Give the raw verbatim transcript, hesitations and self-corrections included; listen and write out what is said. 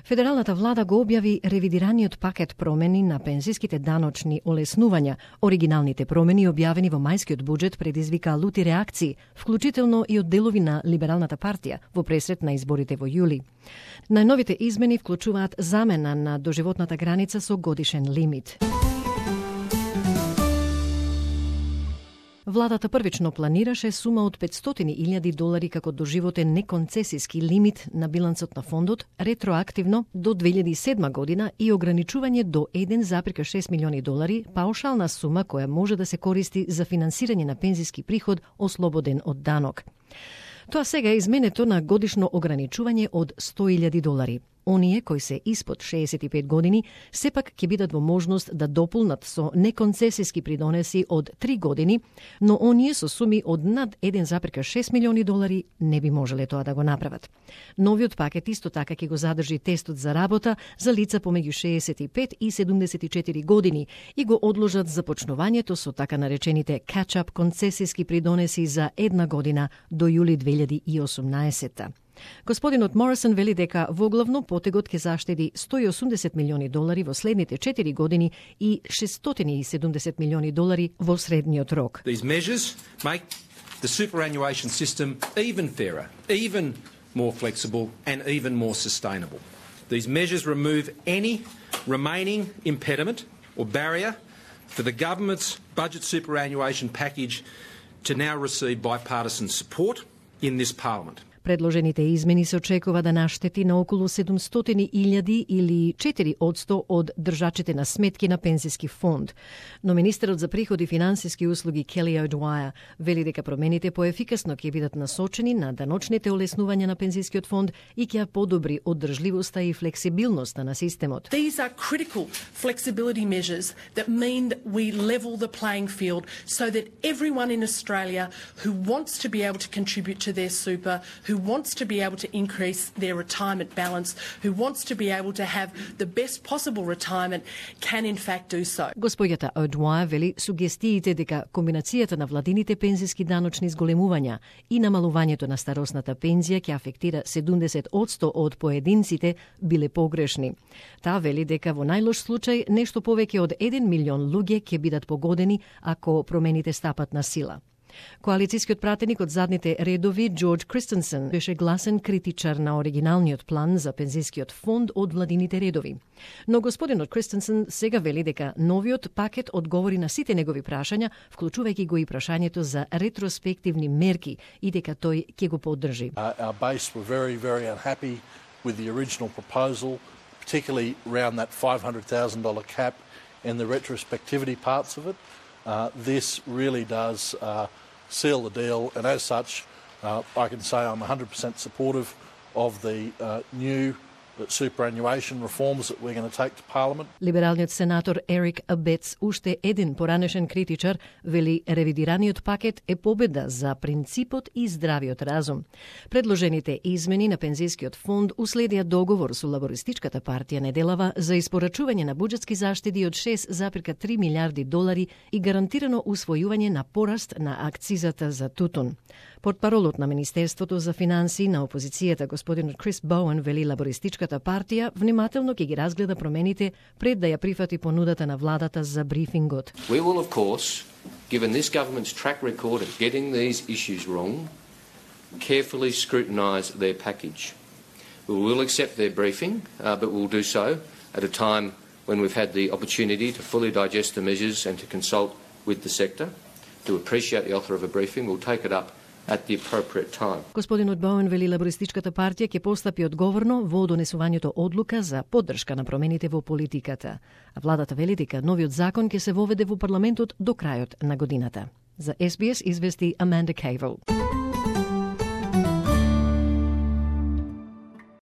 Федералната влада го објави ревидираниот пакет промени на пензиските даночни олеснувања. Оригиналните промени, објавени во мајскиот буџет, предизвика лути реакции, вклучително и од делови на Либералната партија во пресрет на изборите во јули. Најновите измени вклучуваат замена на доживотната граница со годишен лимит. Владата првично планираше сума од петстотини илјади долари како доживотен неконцесиски лимит на билансот на фондот ретроактивно до две илјади и седма година и ограничување до еден зарез шест милиони долари, паушална сума која може да се користи за финансирање на пензиски приход ослободен од данок. Тоа сега е изменето на годишно ограничување од сто илјади долари. Оние кои се испод шеесет и пет години сепак ќе бидат во можност да дополнат со неконцесиски придонеси од три години, но оние со суми од над еден зарез шест милиони долари не би можеле тоа да го направат. Новиот пакет исто така ќе го задржи тестот за работа за лица помеѓу шеесет и пет и седумдесет и четири години и го одложат започнувањето со така наречените catch-up концесиски придонеси за една година до јули две илјади и осумнаесетта. Господинот Морисон вели дека воглавно потегот ќе заштеди сто и осумдесет милиони долари во следните четири години и шестстотини и седумдесет милиони долари во средниот рок. These measures make the superannuation system even fairer, even more flexible and even more sustainable. These measures remove any remaining impediment or barrier for the government's budget superannuation package to now receive bipartisan support in this parliament. Предложените измени се очекува да наштети на околу седумстотини илјади или четири одсто од држачите на сметки на пензиски фонд. Но министерот за приходи и финансиски услуги Келли O'Dwyer вели дека промените поефикасно ќе бидат насочени на даночните олеснувања на пензискиот фонд и ќе подобри оддржливоста и флексибилноста на системот. These are critical flexibility measures that mean that we level the playing field so that everyone in Australia who wants to be able to contribute to their super, who wants to be able to increase their retirement balance, who wants to be able to have the best possible retirement, can in fact do so. Господјата O'Dwyer вели сугестиите дека комбинацијата на владините пензиски даночни зголемувања и намалувањето на старосната пензија ќе афектира седумдесет одсто од поединците биле погрешни. Таа вели дека во најлош случај нешто повеќе од еден милион луѓе ќе бидат погодени ако промените стапат на сила. Коалицијскиот пратеник од задните редови Джордж Кристенсен беше гласен критичар на оригиналниот план за пензискиот фонд од владините редови. Но господинот Кристенсен сега вели дека новиот пакет одговори на сите негови прашања, вклучувајќи го и прашањето за ретроспективни мерки и дека тој ќе го поддржи. Uh, our base were very, very unhappy with the original proposal, particularly around that five hundred thousand dollars cap and the retrospectivity parts of it. Uh, this really does uh, seal the deal, and as such, uh, I can say I'm one hundred percent supportive of the uh, new superannuation reforms that we're going to take to Parliament. Либералниот сенатор Ерик Абец, уште еден поранешен критичар, вели ревидираниот пакет е победа за принципот и здравиот разум. Предложените измени на пензискиот фонд уследија договор со лабористичката партија неделава за испорачување на буџетски заштеди од шест зарез три милијарди долари и гарантирано усвојување на пораст на акцизата за тутун. Портпаролот на Министерството за финансии на опозицијата господинот Крис Боуен вели лабористичката партија внимателно ќе ги разгледа промените пред да ја прифати понудата на владата за брифингот. We will of course, given this government's track record of getting these issues wrong, carefully scrutinise their package. We will accept their briefing, uh, but we'll do so at a time when we've had the opportunity to fully digest the measures and to consult with the sector. To appreciate the author of a briefing, we'll take it up at the appropriate time. Господинот Боуен вели лабористичката партија ќе постапи одговорно во донесувањето одлука за поддршка на промените во политиката. А владата вели дека новиот закон ќе се воведе во парламентот до крајот на годината. За Ес Би Ес извести Аманда Кейвел.